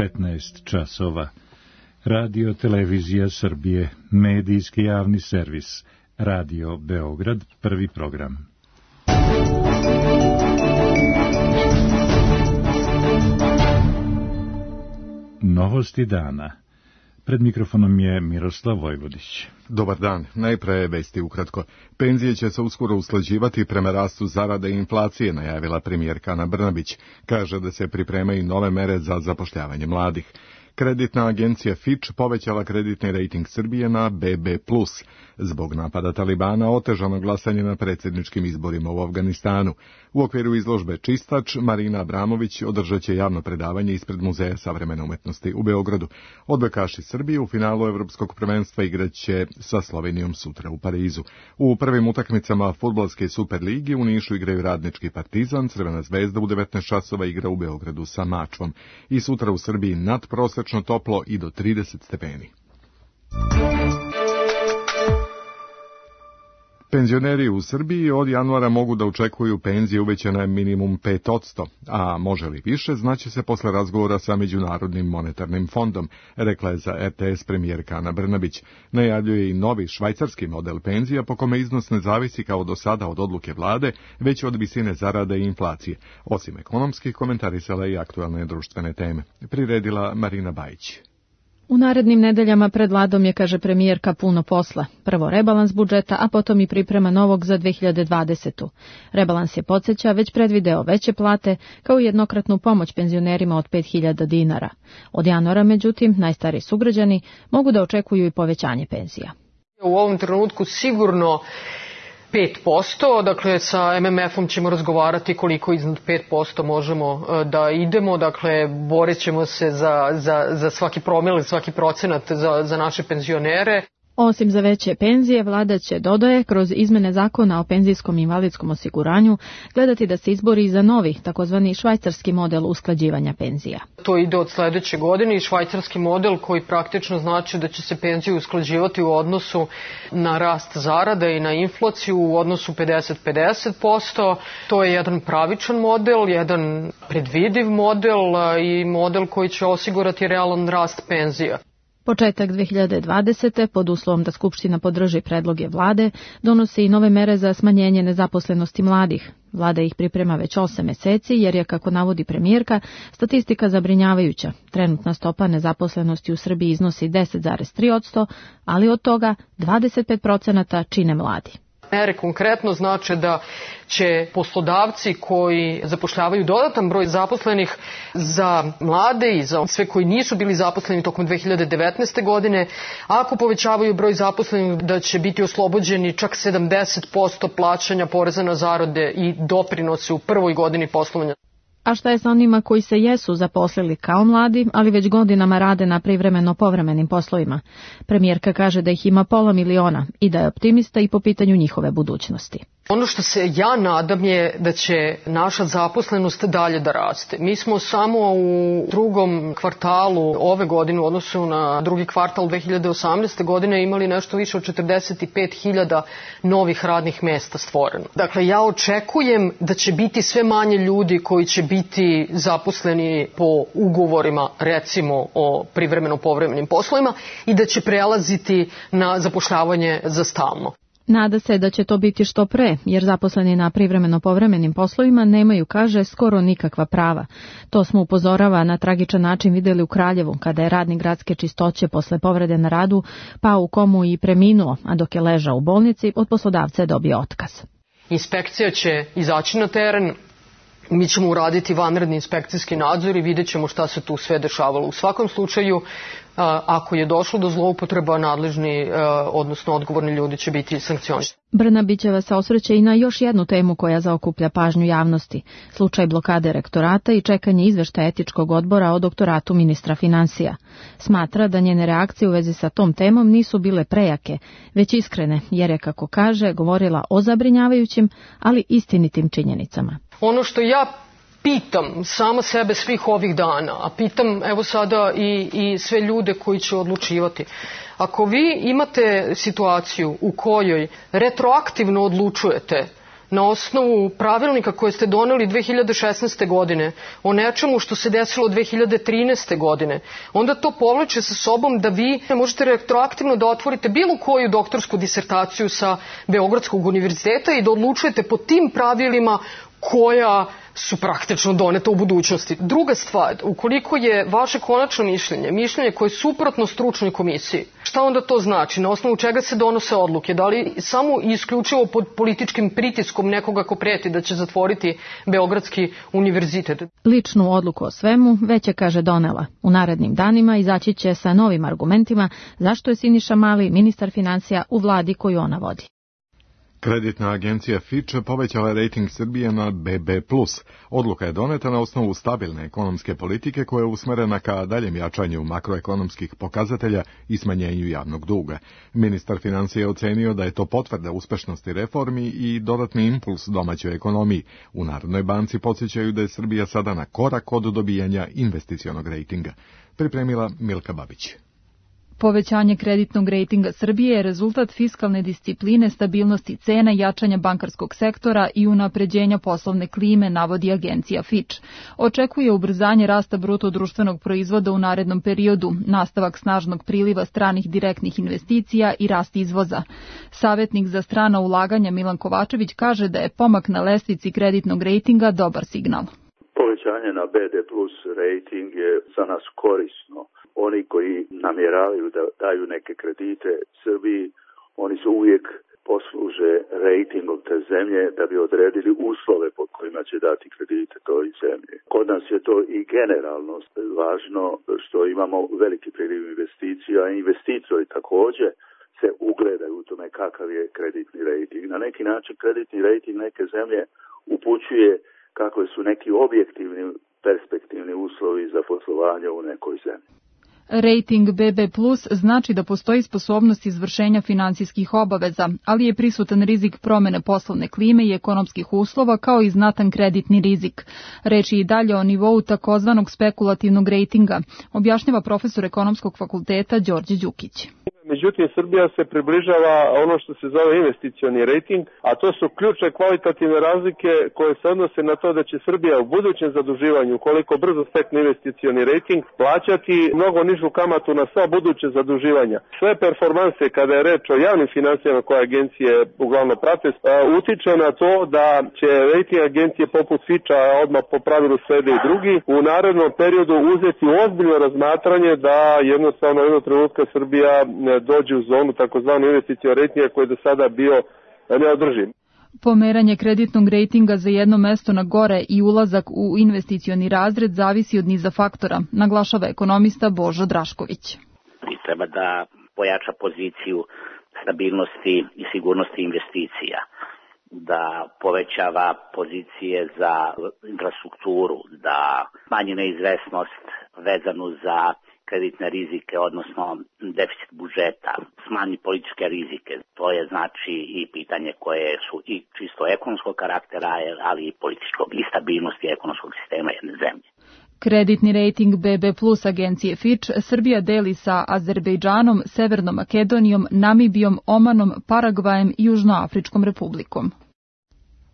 15 časova. Radio Televizija Srbije, medijski javni servis, Radio Beograd, prvi program. Novosti dana. Pred mikrofonom je Miroslav Vojvodić. Dobar dan. Najpre vesti ukratko. Penzije će se uskoro usklađivati prema rastu zarade i inflacije, najavila premijerka Ana Brnabić. Kaže da se pripremaju nove mere za zapošljavanje mladih. Kreditna agencija Fitch povećala kreditni rejting Srbije na BB+. Zbog napada Talibana otežano glasanje na predsjedničkim izborima u Afganistanu. U okviru izložbe Čistač, Marina Abramović održat će javno predavanje ispred Muzeja savremene umetnosti u Beogradu. Odbojkaši Srbije u finalu Evropskog prvenstva igraće sa Slovenijom sutra u Parizu. U prvim utakmicama fudbalske Superligi u Nišu igraju Radnički Partizan, Crvena zvezda u 19 časova igra u Beogradu sa Mačvom. I sutra u Srbiji nadprosečno toplo i do 30 stepeni. Penzioneri u Srbiji od januara mogu da očekuju penzije uvećane minimum 5%, a može li više, znaće se posle razgovora sa Međunarodnim monetarnim fondom, rekla je za RTS premijerka Ana Brnabić. Najavljuje i novi švajcarski model penzija po kome iznos ne zavisi kao do sada od odluke vlade, već od visine zarade i inflacije. Osim ekonomskih, komentarisala i aktualne društvene teme. Priredila Marina Bajić. U narednim nedeljama pred vladom je, kaže premijerka, puno posla. Prvo rebalans budžeta, a potom i priprema novog za 2020. Rebalans je, podsjeća, već predvideo veće plate, kao i jednokratnu pomoć penzionerima od 5.000 dinara. Od januara, međutim, najstariji sugrađani mogu da očekuju i povećanje penzija. U ovom trenutku sigurno 5%, dakle sa MMF-om ćemo razgovarati koliko iznad 5% možemo da idemo, dakle borit ćemo se za svaki promil, svaki procenat za naše penzionere. Osim za veće penzije, vlada će, dodaje, kroz izmene zakona o penzijskom i invalidskom osiguranju gledati da se izbori za novi, takozvani švajcarski model usklađivanja penzija. To ide od sledeće godine i švajcarski model koji praktično znači da će se penzije usklađivati u odnosu na rast zarade i na inflaciju u odnosu 50-50%. To je jedan pravičan model, jedan predvidiv model i model koji će osigurati realan rast penzija. Početak 2020. pod uslovom da Skupština podrži predloge vlade, donosi i nove mere za smanjenje nezaposlenosti mladih. Vlada ih priprema već 8 meseci jer je, kako navodi premijerka, statistika zabrinjavajuća. Trenutna stopa nezaposlenosti u Srbiji iznosi 10,3%, ali od toga 25% čine mladi. Mere konkretno znače da će poslodavci koji zapošljavaju dodatan broj zaposlenih za mlade i za sve koji nisu bili zaposleni tokom 2019. godine, ako povećavaju broj zaposlenih, da će biti oslobođeni čak 70% plaćanja poreza na zarade i doprinose u prvoj godini poslovanja. A šta je sa onima koji se jesu zaposlili kao mladi, ali već godinama rade na privremeno-povremenim poslovima? Premijerka kaže da ih ima 500.000 i da je optimista i po pitanju njihove budućnosti. Ono što se ja nadam je da će naša zaposlenost dalje da raste. Mi smo samo u drugom kvartalu ove godine u odnosu na drugi kvartal 2018. godine imali nešto više od 45.000 novih radnih mesta stvoreno. Dakle, ja očekujem da će biti sve manje ljudi koji će biti zaposleni po ugovorima, recimo o privremeno-povremenim poslovima, i da će prelaziti na zapošljavanje za stalno. Nada se da će to biti što pre, jer zaposleni na privremeno-povremenim poslovima nemaju, kaže, skoro nikakva prava. To smo, upozorava, na tragičan način videli u Kraljevu, kada je radnik gradske čistoće posle povrede na radu pao u komu i preminuo, a dok je ležao u bolnici, od poslodavca je dobio otkaz. Inspekcija će izaći na teren, mi ćemo uraditi vanredni inspekcijski nadzor i vidjet ćemo šta se tu sve dešavalo. U svakom slučaju, ako je došlo do zloupotreba, nadležni, odnosno odgovorni ljudi će biti sankcionisani. Brnabićeva se osvrće i na još jednu temu koja zaokuplja pažnju javnosti, slučaj blokade rektorata i čekanje izveštaja etičkog odbora o doktoratu ministra finansija. Smatra da njene reakcije u vezi sa tom temom nisu bile prejake, već iskrene, jer je, kako kaže, govorila o zabrinjavajućim, ali istinitim činjenicama. Ono što ja pitam sama sebe svih ovih dana, a pitam evo sada i sve ljude koji će odlučivati. Ako vi imate situaciju u kojoj retroaktivno odlučujete na osnovu pravilnika koje ste doneli 2016. godine o nečemu što se desilo 2013. godine, onda to povlače sa sobom da vi možete retroaktivno da otvorite bilo koju doktorsku disertaciju sa Beogradskog univerziteta i da odlučujete po tim pravilima koja su praktično doneta u budućnosti. Druga stvar, ukoliko je vaše konačno mišljenje koje je suprotno stručnoj komisiji, šta onda to znači? Na osnovu čega se donose odluke? Da li samo i isključivo pod političkim pritiskom nekoga ko preti da će zatvoriti Beogradski univerzitet? Ličnu odluku o svemu već je, kaže, donela. U narednim danima izaći će sa novim argumentima zašto je Siniša Mali ministar finansija u vladi koju ona vodi. Kreditna agencija Fitch povećala je rejting Srbije na BB+. Odluka je doneta na osnovu stabilne ekonomske politike koja je usmerena ka daljem jačanju makroekonomskih pokazatelja i smanjenju javnog duga. Ministar financija je ocenio da je to potvrda uspešnosti reformi i dodatni impuls domaćoj ekonomiji. U Narodnoj banci podsjećaju da je Srbija sada na korak od dobijanja investicionog rejtinga. Pripremila Milka Babić. Povećanje kreditnog rejtinga Srbije je rezultat fiskalne discipline, stabilnosti cena, jačanja bankarskog sektora i unapređenja poslovne klime, navodi agencija Fitch. Očekuje ubrzanje rasta bruto društvenog proizvoda u narednom periodu, nastavak snažnog priliva stranih direktnih investicija i rast izvoza. Savjetnik za strana ulaganja Milan Kovačević kaže da je pomak na lestvici kreditnog rejtinga dobar signal. Povećanje na BD plus rejting je za nas korisno. Oni koji namjeravaju da daju neke kredite Srbiji, oni se uvijek posluže rejtingom te zemlje da bi odredili uslove pod kojima će dati kredite toj zemlji. Kod nas je to i generalno važno što imamo veliki priliv investicija, a investitori također se ugledaju u tome kakav je kreditni rejting. Na neki način kreditni rejting neke zemlje upućuje kakve su neki objektivni perspektivni uslovi za poslovanje u nekoj zemlji. Rating BB+ znači da postoji sposobnost izvršenja finansijskih obaveza, ali je prisutan rizik promene poslovne klime i ekonomskih uslova kao i znatan kreditni rizik. Reč je i dalje o nivou takozvanog spekulativnog rejtinga, objašnjava profesor ekonomskog fakulteta Đorđe Đukić. Međutim, Srbija se približava ono što se zove investicioni rejting, a to su ključne kvalitativne razlike koje se odnose na to da će Srbija u budućem zaduživanju, koliko brzo stekne investicioni rejting, plaćati mnogo nižu kamatu na sva buduće zaduživanja. Sve performanse, kada je reč o javnim financijama koje agencije uglavnom prate, utiče na to da će rejting agencije poput Fitcha, odmah po pravilu slede i drugi, u narednom periodu uzeti ozbiljno razmatranje da jednostavno jednog trenutka Srbija dođe u zonu takozvani investicioni rejtinga koji je do sada bio neodrživ. Pomeranje kreditnog rejtinga za jedno mesto na gore i ulazak u investicioni razred zavisi od niza faktora, naglašava ekonomista Božo Drašković. Treba da pojača poziciju stabilnosti i sigurnosti investicija, da povećava pozicije za infrastrukturu, da smanji neizvesnost vezanu za kreditne rizike, odnosno deficit budžeta, smanji političke rizike. To je znači i pitanje koje su i čisto ekonomskog karaktera, ali i političkog i stabilnosti ekonomskog sistema jedne zemlje. Kreditni rejting BB+ agencije Fitch Srbija deli sa Azerbejdžanom, Severnom Makedonijom, Namibijom, Omanom, Paragvajem i Južnoafričkom republikom.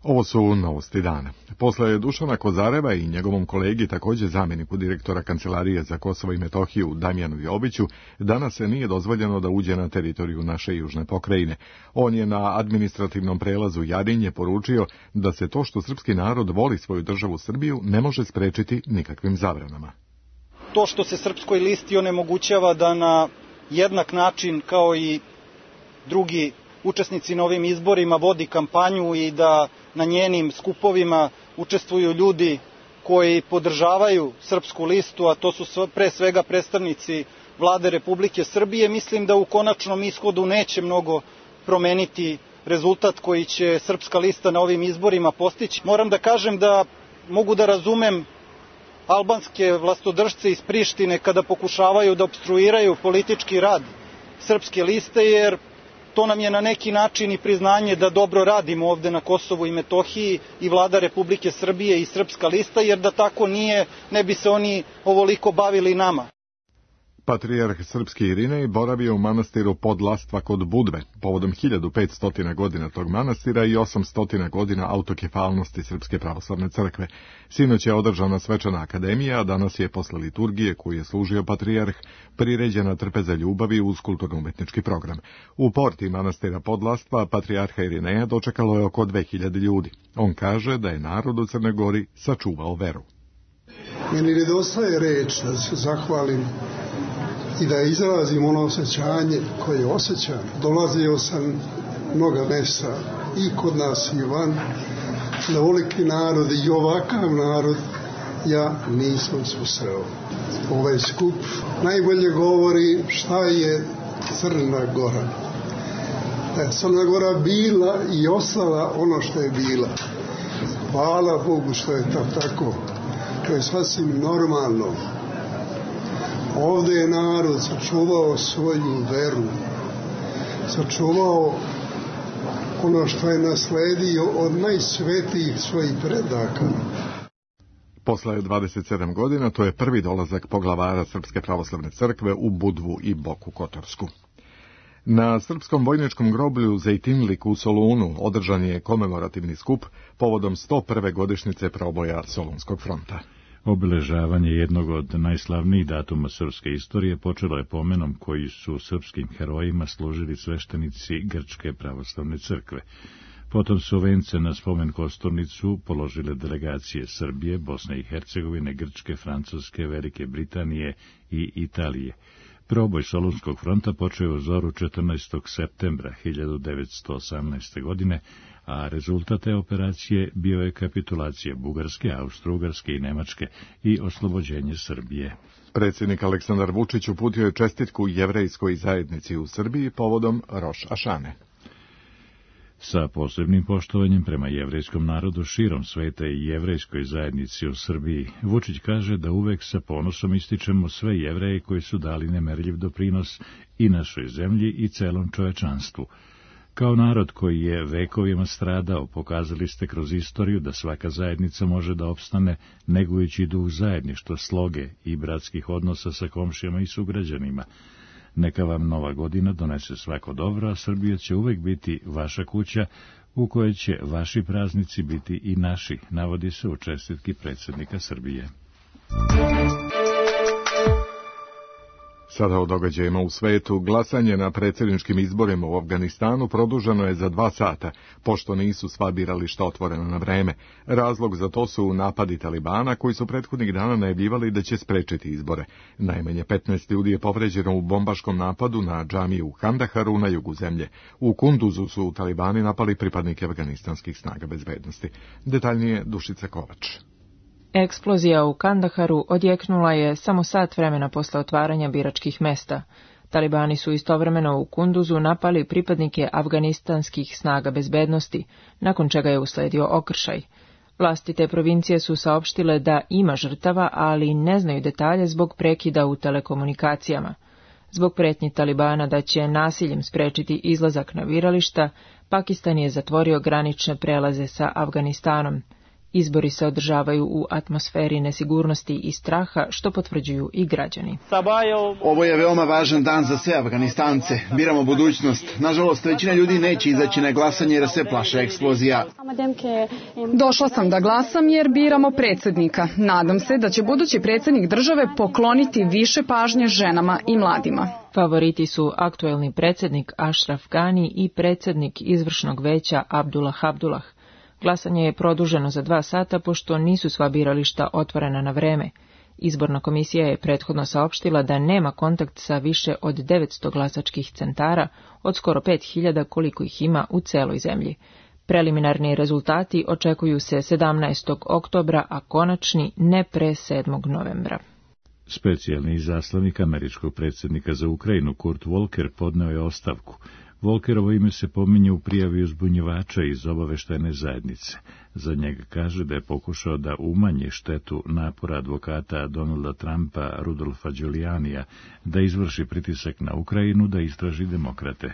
Ovo su novosti dana. Posle Dušana Kozareva i njegovom kolegi, također zamjeniku direktora Kancelarije za Kosovo i Metohiju Damjanu Jobiću, danas se nije dozvoljeno da uđe na teritoriju naše južne pokrajine. On je na administrativnom prelazu Jarinje poručio da se to što srpski narod voli svoju državu Srbiju ne može sprečiti nikakvim zabranama. To što se Srpskoj listi onemogućava da na jednak način kao i drugi učesnici na ovim izborima vodi kampanju i da na njenim skupovima učestvuju ljudi koji podržavaju Srpsku listu, a to su pre svega predstavnici Vlade Republike Srbije, mislim da u konačnom ishodu neće mnogo promeniti rezultat koji će Srpska lista na ovim izborima postići. Moram da kažem da mogu da razumem albanske vlastodržce iz Prištine kada pokušavaju da opstruiraju politički rad Srpske liste, jer to nam je na neki način i priznanje da dobro radimo ovde na Kosovu i Metohiji i Vlada Republike Srbije i Srpska lista, jer da tako nije, ne bi se oni ovoliko bavili nama. Patrijarh srpski Irinej boravio u manastiru Podlastva kod Budve, povodom 1500 godina tog manastira i 800 godina autokefalnosti Srpske pravoslavne crkve. Sinoć je održana svečana akademija, a danas je posle liturgije koju je služio patrijarh priređena trpeza ljubavi uz kulturno-umetnički program. U porti manastira Podlastva patrijarha Irineja dočekalo je oko 2000 ljudi. On kaže da je narod u Crnoj Gori sačuvao veru. Meni nedostaje reč da se zahvalim i da izrazim ono osjećanje koje osjećam. Dolazio sam mnoga mesta i kod nas i van, da ovoliki narod i ovakav narod ja nisam susreo. Ovaj skup najbolje govori šta je Crna Gora. Da je Crna Gora bila i ostala ono što je bila. Hvala Bogu što je to tako. To je sasvim normalno. Ovdje je narod sačuvao svoju veru, sačuvao ono što je nasledio od najsvetijih svojih predaka. Posle 27 godina to je prvi dolazak poglavara Srpske pravoslavne crkve u Budvu i Boku Kotorsku. Na srpskom vojničkom groblju Zejtinlik u Solunu održan je komemorativni skup povodom 101. godišnjice proboja Solunskog fronta. Obeležavanje jednog od najslavnijih datuma srpske istorije počelo je pomenom koji su srpskim herojima služili sveštenici Grčke pravoslavne crkve. Potom su vence na spomen kosturnicu položile delegacije Srbije, Bosne i Hercegovine, Grčke, Francuske, Velike Britanije i Italije. Proboj Solunskog fronta počeo u zoru 14. septembra 1918. godine, a rezultat te operacije bio je kapitulacija Bugarske, Austro-Ugarske i Nemačke i oslobođenje Srbije. Predsjednik Aleksandar Vučić uputio je čestitku jevrejskoj zajednici u Srbiji povodom Roš Ašane. Sa posebnim poštovanjem prema jevrejskom narodu širom sveta i jevrejskoj zajednici u Srbiji, Vučić kaže da uvek sa ponosom ističemo sve Jevreje koji su dali nemerljiv doprinos i našoj zemlji i celom čovečanstvu. Kao narod koji je vekovima stradao, pokazali ste kroz istoriju da svaka zajednica može da opstane negujući duh zajedništva, sloge i bratskih odnosa sa komšijama i sugrađanima. Neka vam nova godina donese svako dobro, a Srbija će uvek biti vaša kuća, u kojoj će vaši praznici biti i naši, navodi se u čestitki predsjednika Srbije. Sada o događajima u svetu. Glasanje na predsjedničkim izborima u Afganistanu produženo je za 2 sata, pošto nisu sva birališta otvorena na vreme. Razlog za to su napadi Talibana, koji su prethodnih dana najavljivali da će sprečiti izbore. Najmanje 15 ljudi je povređeno u bombaškom napadu na džamiju u Kandaharu na jugu zemlje. U Kunduzu su Talibani napali pripadnike afganistanskih snaga bezbednosti. Detaljnije Dušica Kovač. Eksplozija u Kandaharu odjeknula je samo sat vremena posle otvaranja biračkih mesta. Talibani su istovremeno u Kunduzu napali pripadnike afganistanskih snaga bezbednosti, nakon čega je usledio okršaj. Vlasti te provincije su saopštile da ima žrtava, ali ne znaju detalje zbog prekida u telekomunikacijama. Zbog pretnji Talibana da će nasiljem sprečiti izlazak na birališta, Pakistan je zatvorio granične prelaze sa Afganistanom. Izbori se održavaju u atmosferi nesigurnosti i straha, što potvrđuju i građani. Ovo je veoma važan dan za sve Afganistance. Biramo budućnost. Nažalost, većina ljudi neće izaći na glasanje jer se plaše eksplozija. Došla sam da glasam jer biramo predsjednika. Nadam se da će budući predsjednik države pokloniti više pažnje ženama i mladima. Favoriti su aktuelni predsjednik Ashraf Ghani i predsjednik izvršnog veća Abdullah Abdullah. Glasanje je produženo za 2 sata, pošto nisu sva birališta otvorena na vreme. Izborna komisija je prethodno saopštila da nema kontakt sa više od 900 glasačkih centara, od skoro 5000 koliko ih ima u celoj zemlji. Preliminarni rezultati očekuju se 17. oktobra, a konačni ne pre 7. novembra. Specijalni izaslanik američkog predsjednika za Ukrajinu Kurt Volker podneo je ostavku. Volkerovo ime se pominje u prijavi uzbunjivača iz obaveštajne zajednice. Za njega kaže da je pokušao da umanje štetu napora advokata Donalda Trumpa, Rudolfa Giulianija, da izvrši pritisak na Ukrajinu da istraži demokrate.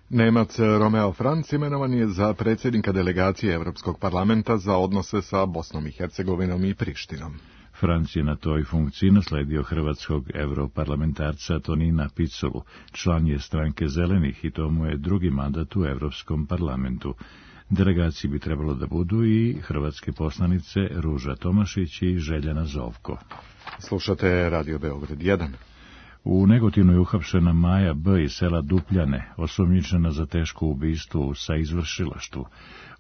Nemac Romeo Franc imenovan je za predsjednika delegacije Europskog parlamenta za odnose sa Bosnom i Hercegovinom i Prištinom. Franc je na toj funkciji nasledio hrvatskog europarlamentarca Tonina Piculu, član je stranke Zelenih i to mu je drugi mandat u Evropskom parlamentu. Delegaciji bi trebalo da budu i hrvatske poslanice Ruža Tomašić i Željana Zovko. Slušate Radio Beograd 1. U Negotinu je uhapšena Maja B. iz sela Dupljane, osumnjičena za teško ubistvo u saizvršilaštvu.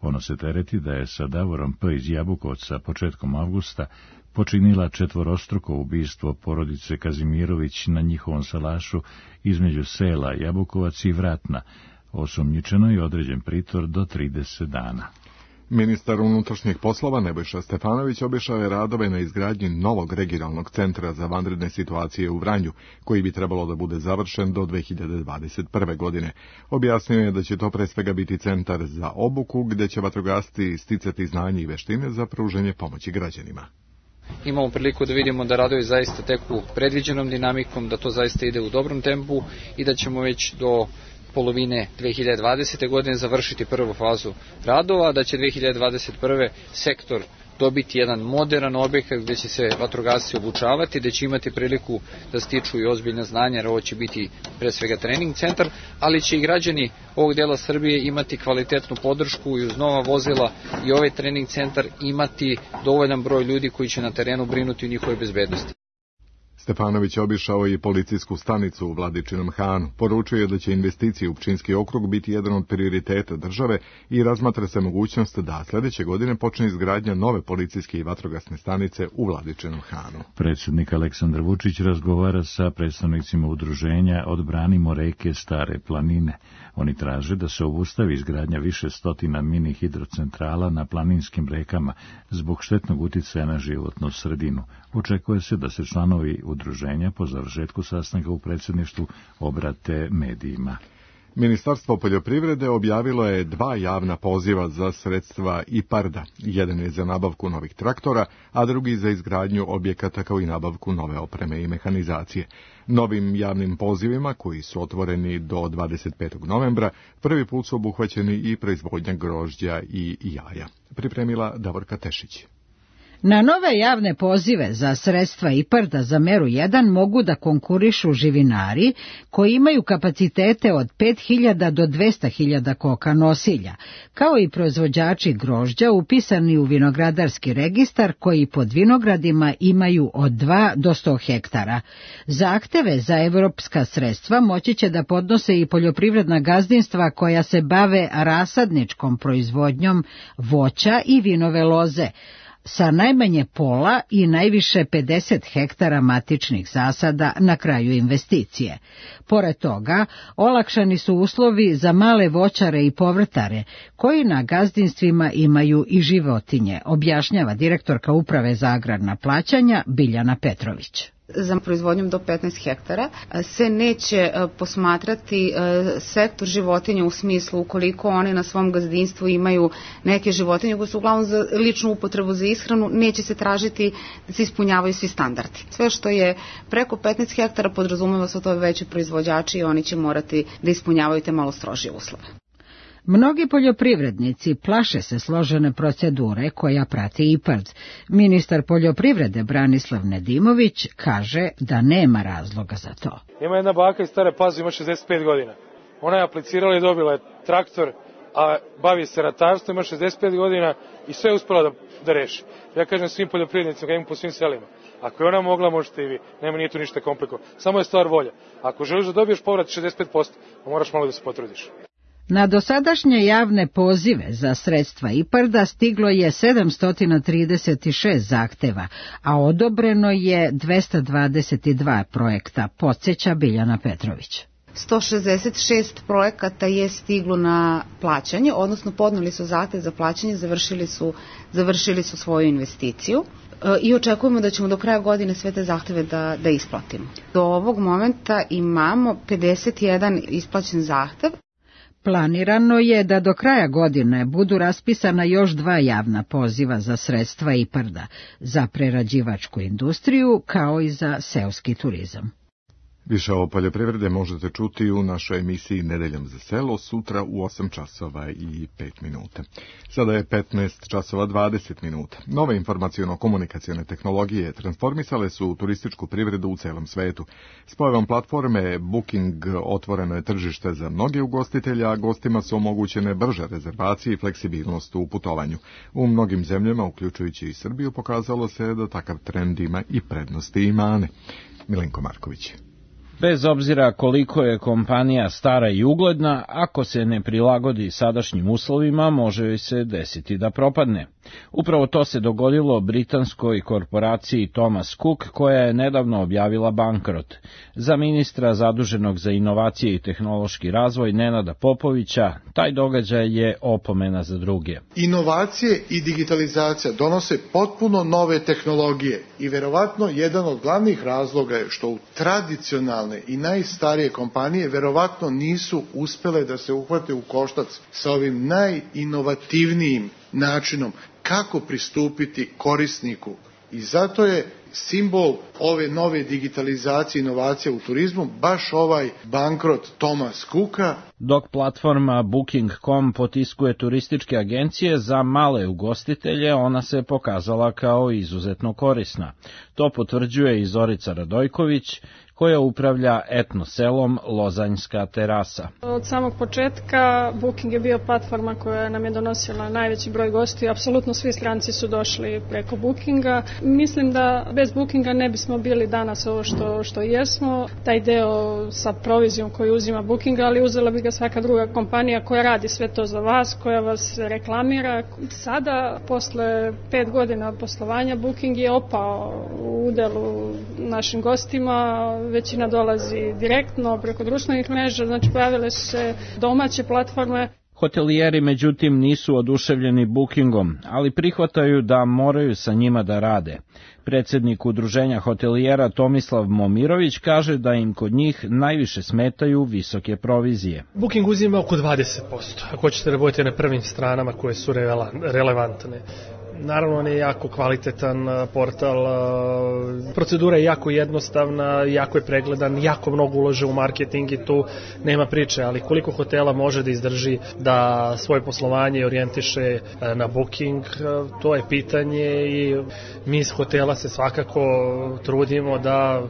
Ono se tereti da je sa Davorom P. iz Jabukovca početkom avgusta počinila četvorostruko ubistvo porodice Kazimirović na njihovom salašu između sela Jabukovac i Vratna. Osumnjičeno je određen pritvor do 30 dana. Ministar unutrašnjih poslova Nebojša Stefanović obišao je radove na izgradnji novog regionalnog centra za vanredne situacije u Vranju, koji bi trebalo da bude završen do 2021. godine. Objasnio je da će to pre svega biti centar za obuku, gde će vatrogasci sticati znanje i veštine za pružanje pomoći građanima. Imamo priliku da vidimo da radovi zaista teku predviđenom dinamikom, da to zaista ide u dobrom tempu i da ćemo već do polovine 2020. godine završiti prvu fazu radova, da će 2021. sektor dobiti jedan moderan objekat gdje će se vatrogasci obučavati, gdje će imati priliku da stiču i ozbiljne znanja, jer ovo će biti pre svega trening centar, ali će i građani ovog dela Srbije imati kvalitetnu podršku i uz nova vozila i ovaj trening centar imati dovoljan broj ljudi koji će na terenu brinuti o njihovoj bezbednosti. Stefanović obišao i policijsku stanicu u Vladičinom Hanu. Poručio je da će investicije u Pčinjski okrug biti jedan od prioriteta države i razmatra se mogućnost da sljedeće godine počne izgradnja nove policijske i vatrogasne stanice u Vladičinom Hanu. Predsjednik Aleksandar Vučić razgovara sa predstavnicima udruženja Odbranimo reke Stare planine. Oni traže da se obustavi izgradnja više stotina mini hidrocentrala na planinskim rekama zbog štetnog uticaja na životnu sredinu. Očekuje se da se članovi udruženja po završetku sastanka u predsjedništvu obrate medijima. Ministarstvo poljoprivrede objavilo je 2 javna poziva za sredstva IPARD-a. Jedan je za nabavku novih traktora, a drugi za izgradnju objekata kao i nabavku nove opreme i mehanizacije. Novim javnim pozivima, koji su otvoreni do 25. novembra, prvi put su obuhvaćeni i proizvodnja grožđa i jaja. Pripremila Davorka Tešić. Na nove javne pozive za sredstva IPARD-a za meru 1 mogu da konkurišu živinari koji imaju kapacitete od 5.000 do 200.000 koka nosilja, kao i proizvođači grožđa upisani u vinogradarski registar koji pod vinogradima imaju od 2 do 100 hektara. Zahteve za evropska sredstva moći će da podnose i poljoprivredna gazdinstva koja se bave rasadničkom proizvodnjom voća i vinove loze, sa najmanje pola i najviše 50 hektara matičnih zasada na kraju investicije. Pored toga, olakšani su uslovi za male voćare i povrtare, koji na gazdinstvima imaju i životinje, objašnjava direktorka Uprave za agrarna plaćanja Biljana Petrović. Za proizvodnjom do 15 hektara se neće posmatrati sektor životinja u smislu ukoliko oni na svom gazdinstvu imaju neke životinje koje su uglavnom za ličnu upotrebu za ishranu, neće se tražiti da se ispunjavaju svi standardi. Sve što je preko 15 hektara podrazumeva su to veći proizvođači i oni će morati da ispunjavaju te malo strožije uslove. Mnogi poljoprivrednici plaše se složene procedure koja prati IPARD. Ministar poljoprivrede Branislav Nedimović kaže da nema razloga za to. Ima jedna baka iz Stare Pazove, ima 65 godina. Ona je aplicirala i dobila je traktor, a bavi se ratarstvom, ima 65 godina i sve je uspela da reši. Ja kažem svim poljoprivrednicima, imam po svim selima. Ako je ona mogla, možete i vi. Nije tu ništa komplikovano. Samo je stvar volja. Ako želiš da dobiješ povrat 65%, moraš malo da se potrudiš. Na dosadašnje javne pozive za sredstva IPARD-a stiglo je 736 zahteva, a odobreno je 222 projekta, podsjeća Biljana Petrović. 166 projekata je stiglo na plaćanje, odnosno podneli su zahtev za plaćanje, završili su svoju investiciju i očekujemo da ćemo do kraja godine sve te zahteve da isplatimo. Do ovog momenta imamo 51 isplaćen zahtev. Planirano je da do kraja godine budu raspisana još 2 javna poziva za sredstva IPARD-a, za prerađivačku industriju kao i za seoski turizam. Više o poljoprivrede možete čuti u našoj emisiji Nedeljom za selo sutra u 8 časova i 5 minuta. Sada je 15 časova 20 minuta. Nove informaciono-komunikacione tehnologije transformisale su turističku privredu u celom svetu. S pojavom platforme Booking otvoreno je tržište za mnoge ugostitelja, a gostima su omogućene brže rezervacije i fleksibilnost u putovanju. U mnogim zemljama, uključujući i Srbiju, pokazalo se da takav trend ima i prednosti i mane. Milenko Marković. Bez obzira koliko je kompanija stara i ugledna, ako se ne prilagodi sadašnjim uslovima, može joj se desiti da propadne. Upravo to se dogodilo britanskoj korporaciji Thomas Cook, koja je nedavno objavila bankrot. Za ministra zaduženog za inovacije i tehnološki razvoj Nenada Popovića, taj događaj je opomena za druge. Inovacije i digitalizacija donose potpuno nove tehnologije i verovatno jedan od glavnih razloga je što u tradicionalne i najstarije kompanije verovatno nisu uspele da se uhvate u koštac sa ovim najinovativnijim načinom kako pristupiti korisniku. I zato je simbol ove nove digitalizacije i inovacije u turizmu baš ovaj bankrot Thomas Cooka. Dok platforma Booking.com potiskuje turističke agencije za male ugostitelje, ona se pokazala kao izuzetno korisna. To potvrđuje i Zorica Radojković, koja upravlja etno selom Lozanjska terasa. Od samog početka Booking je bio platforma koja nam je donosila najveći broj gostiju. Apsolutno svi stranci su došli preko Bookinga. Mislim da bez Bookinga ne bismo bili danas ovo što jesmo. Taj deo sa provizijom koju uzima Booking, ali uzela bi ga svaka druga kompanija koja radi sve to za vas, koja vas reklamira. Sada, posle 5 godina od poslovanja, Booking je opao u udelu našim gostima. Većina dolazi direktno preko društvenih mreža, znači pojavile su se domaće platforme. Hotelijeri međutim nisu oduševljeni Bookingom, ali prihvataju da moraju sa njima da rade. Predsjednik udruženja hotelijera Tomislav Momirović kaže da im kod njih najviše smetaju visoke provizije. Booking uzima oko 20%, ako hoćete da budete na prvim stranama koje su relevantne. Naravno, on je jako kvalitetan portal, procedura je jako jednostavna, jako je pregledan, jako mnogo ulaže u marketing i tu nema priče, ali koliko hotela može da izdrži da svoje poslovanje orijentiše na Booking, to je pitanje i mi iz hotela se svakako trudimo da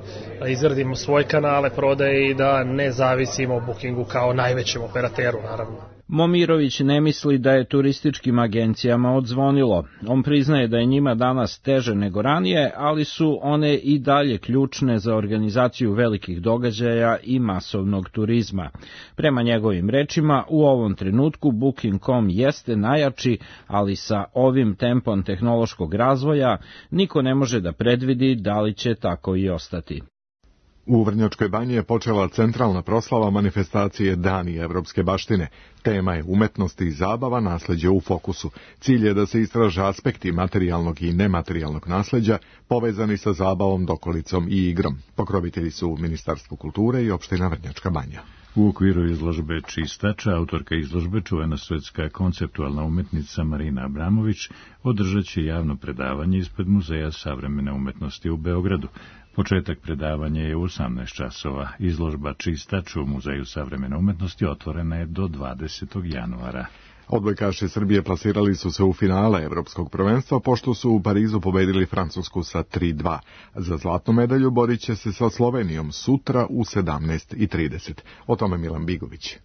izgradimo svoje kanale prodaje i da ne zavisimo o Bookingu kao najvećem operateru, naravno. Momirović ne misli da je turističkim agencijama odzvonilo. On priznaje da je njima danas teže nego ranije, ali su one i dalje ključne za organizaciju velikih događaja i masovnog turizma. Prema njegovim rečima, u ovom trenutku Booking.com jeste najjači, ali sa ovim tempom tehnološkog razvoja niko ne može da predvidi da li će tako i ostati. U Vrnjačkoj banji je počela centralna proslava manifestacije Dani evropske baštine. Tema je umetnost i zabava, nasleđe u fokusu. Cilj je da se istraže aspekti materijalnog i nematerijalnog nasleđa povezani sa zabavom, dokolicom i igrom. Pokrovitelji su Ministarstvo kulture i opština Vrnjačka banja. U okviru izložbe Čistača, autorka izložbe, čuvena svetska konceptualna umetnica Marina Abramović, održat će javno predavanje ispred Muzeja savremene umetnosti u Beogradu. Početak predavanja je u 18 časova. Izložba Čistač u Muzeju savremene umetnosti otvorena je do 20. januara. Odbojkaši Srbije plasirali su se u finale Evropskog prvenstva, pošto su u Parizu pobedili Francusku sa 3:2. Za zlatnu medalju borit će se sa Slovenijom sutra u 17:30. O tome Milan Bigović.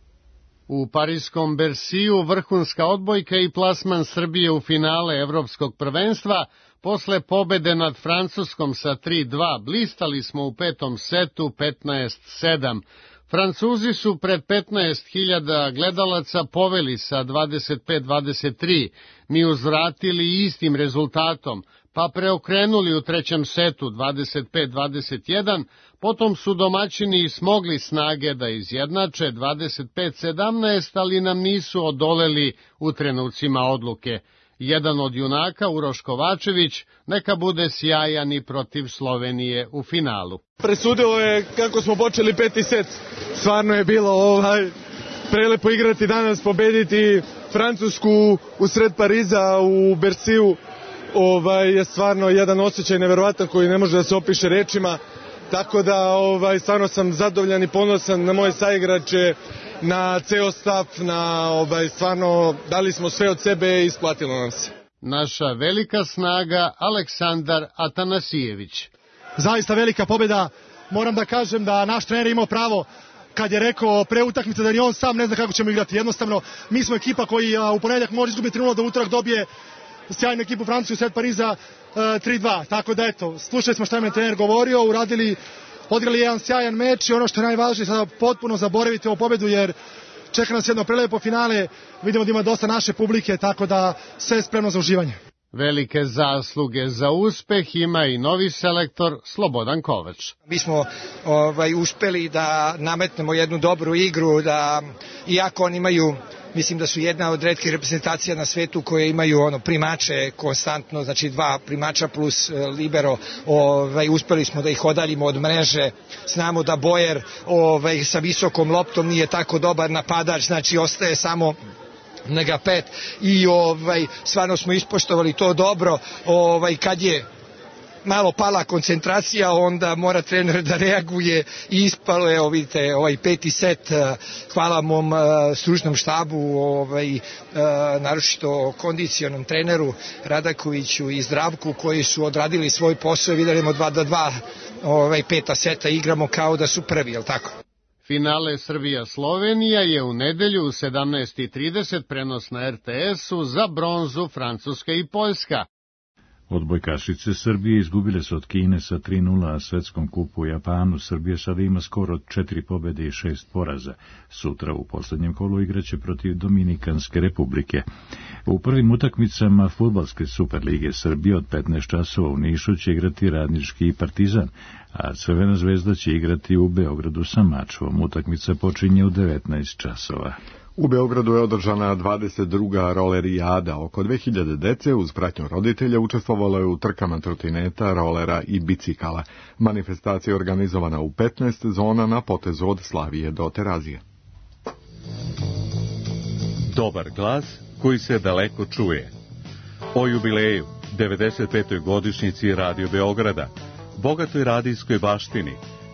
U parijskom Berciju vrhunska odbojka i plasman Srbije u finale Evropskog prvenstva. Posle pobede nad Francuskom sa 3:2 blistali smo u petom setu 15:7. Francuzi su pred 15.000 gledalaca poveli sa 25-23, mi uzvratili istim rezultatom, pa preokrenuli u trećem setu 25-21, potom su domaćini smogli snage da izjednače 25-17, ali nam nisu odoleli u trenucima odluke. Jedan od junaka, Uroš Kovačević, neka bude sjajan i protiv Slovenije u finalu. Presudilo je kako smo počeli peti set. Stvarno je bilo prelepo igrati danas, pobediti Francusku u sred Pariza u Berciju. Je stvarno jedan osjećaj neverovatan koji ne može da se opiše rečima. tako da stvarno sam zadovoljan i ponosan na moje saigrače, na ceo stav, stvarno dali smo sve od sebe i isplatilo nam se. Naša velika snaga Aleksandar Atanasijević. Zaista velika pobjeda, moram da kažem da naš trener imao pravo kad je rekao pre utakmice da ni on sam ne zna kako ćemo igrati. Jednostavno, mi smo ekipa koji u ponedjeljak može izgubiti 3-0, da utorak dobije sjajnu ekipu Francusku, Sred Pariza 3-2. Tako da eto, slušali smo šta je trener govorio, odigrali jedan sjajan meč i ono što je najvažnije, sada potpuno zaboraviti ovu pobjedu jer čeka nas jedno prelepo finale, vidimo da ima dosta naše publike, tako da sve je spremno za uživanje. Velike zasluge za uspeh ima i novi selektor Slobodan Kovač. Mi smo uspeli da nametnemo jednu dobru igru, da iako oni imaju, mislim da su jedna od retkih reprezentacija na svetu koje imaju primače konstantno, znači 2 primača plus libero, uspeli smo da ih odaljimo od mreže. Znamo da Bojer sa visokom loptom nije tako dobar napadač, znači ostaje samo Nega 5 i stvarno smo ispoštovali to dobro. Kad je malo pala koncentracija, onda mora trener da reaguje i ispalo je, vidite, ovaj 5. set, hvala mom stručnom štabu, naročito kondicionom treneru Radakoviću i Zdravku koji su odradili svoj posao i vidimo 2-2, 5. seta igramo kao da su prvi, jel tako? Finale Srbija-Slovenija je u nedelju u 17:30 prenos na RTS-u, za bronzu Francuska i Poljska. Odbojkašice Srbije izgubile su od Kine sa 3:0 na svetskom kupu u Japanu. Srbija sada ima skoro 4 pobjede i 6 poraza. Sutra u posljednjem kolu igraće protiv Dominikanske republike. U prvim utakmicama fudbalske Superlige Srbije od 15 časova u Nišu će igrati Radnički i Partizan, a Crvena zvezda će igrati u Beogradu sa Mačvom. Utakmica počinje u 19 časova. U Beogradu je održana 22. rolerijada. Oko 2000 dece uz pratnju roditelja učestvovalo je u trkama trotineta, rolera i bicikala. Manifestacija je organizovana u 15 zona na potezu od Slavije do Terazije. Dobar glas koji se daleko čuje. O jubileju, 95. godišnjici Radio Beograda, bogatoj radijskoj baštini,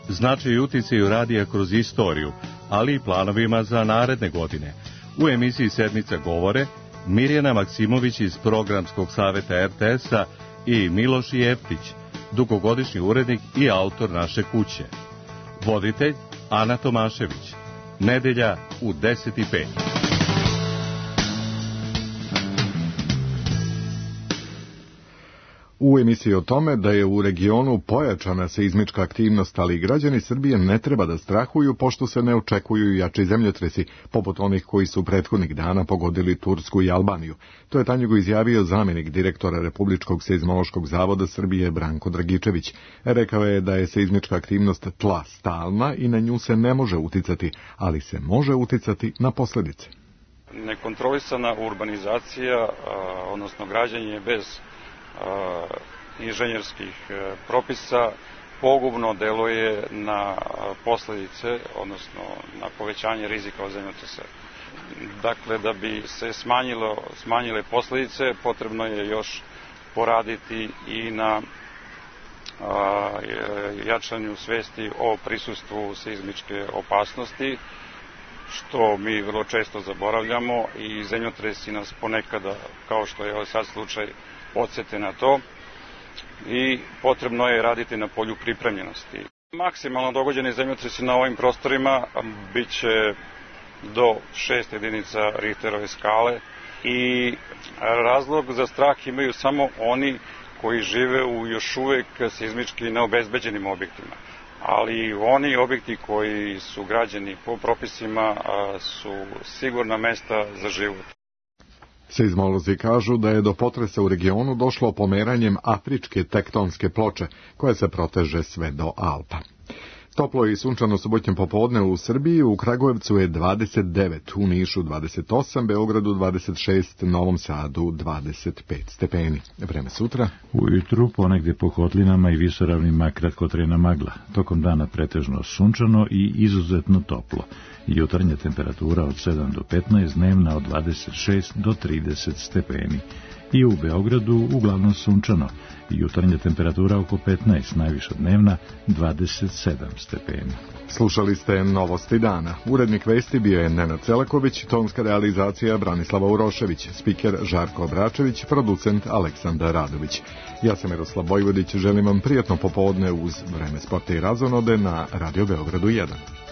značaj i uticaju radija kroz istoriju, ali i planovima za naredne godine. U emisiji Sedmica govore Mirjana Maksimović iz programskog saveta RTS-a i Miloš Jeftić, dugogodišnji urednik i autor Naše kuće. Voditelj Ana Tomašević. Nedelja u 10:05. U emisiji o tome da je u regionu pojačana seizmička aktivnost, ali građani Srbije ne treba da strahuju pošto se ne očekuju jači zemljotresi, poput onih koji su prethodnih dana pogodili Tursku i Albaniju. To je Tanjugo izjavio zamjenik direktora Republičkog seizmološkog zavoda Srbije Branko Dragičević. Rekao je da je seizmička aktivnost tla stalna i na nju se ne može uticati, ali se može uticati na posljedice. Nekontrolisana urbanizacija, odnosno građenje bez inženjerskih propisa pogubno deluje na posljedice, odnosno na povećanje rizika od zemljotresa. Dakle, da bi se smanjile posljedice, potrebno je još poraditi i na jačanju svesti o prisustvu seizmičke opasnosti, što mi vrlo često zaboravljamo i zemljotresi nas ponekada, kao što je sad slučaj, podsjete na to i potrebno je raditi na polju pripremljenosti. Maksimalno dogođeni zemljotresi na ovim prostorima bit će do 6 jedinica Richterove skale i razlog za strah imaju samo oni koji žive u još uvek seizmički neobezbeđenim objektima. Ali oni objekti koji su građeni po propisima su sigurna mesta za život. Seizmolozi kažu da je do potresa u regionu došlo pomeranjem afričke tektonske ploče, koja se proteže sve do Alpa. Toplo i sunčano subotnjem popodne u Srbiji, u Kragujevcu je 29, u Nišu 28, Beogradu 26, Novom Sadu 25 stepeni. Vreme sutra. Ujutru ponegdje po kotlinama i visoravnima kratkotrajna magla. Tokom dana pretežno sunčano i izuzetno toplo. Jutarnja temperatura od 7 do 15, dnevna od 26 do 30 stepeni. i u Beogradu uglavnom sunčano. Jutarnja temperatura oko 15, najviša dnevna 27 stepeni. Slušali ste Novosti dana. Urednik vesti bio je Nenad Celaković, tonska realizacija Branislava Urošević, spiker Žarko Obračević, producent Aleksandar Radović. Ja sam Miroslav Vojvodić, želim vam prijatno popodne uz Vreme sporta i razonode na Radio Beogradu 1.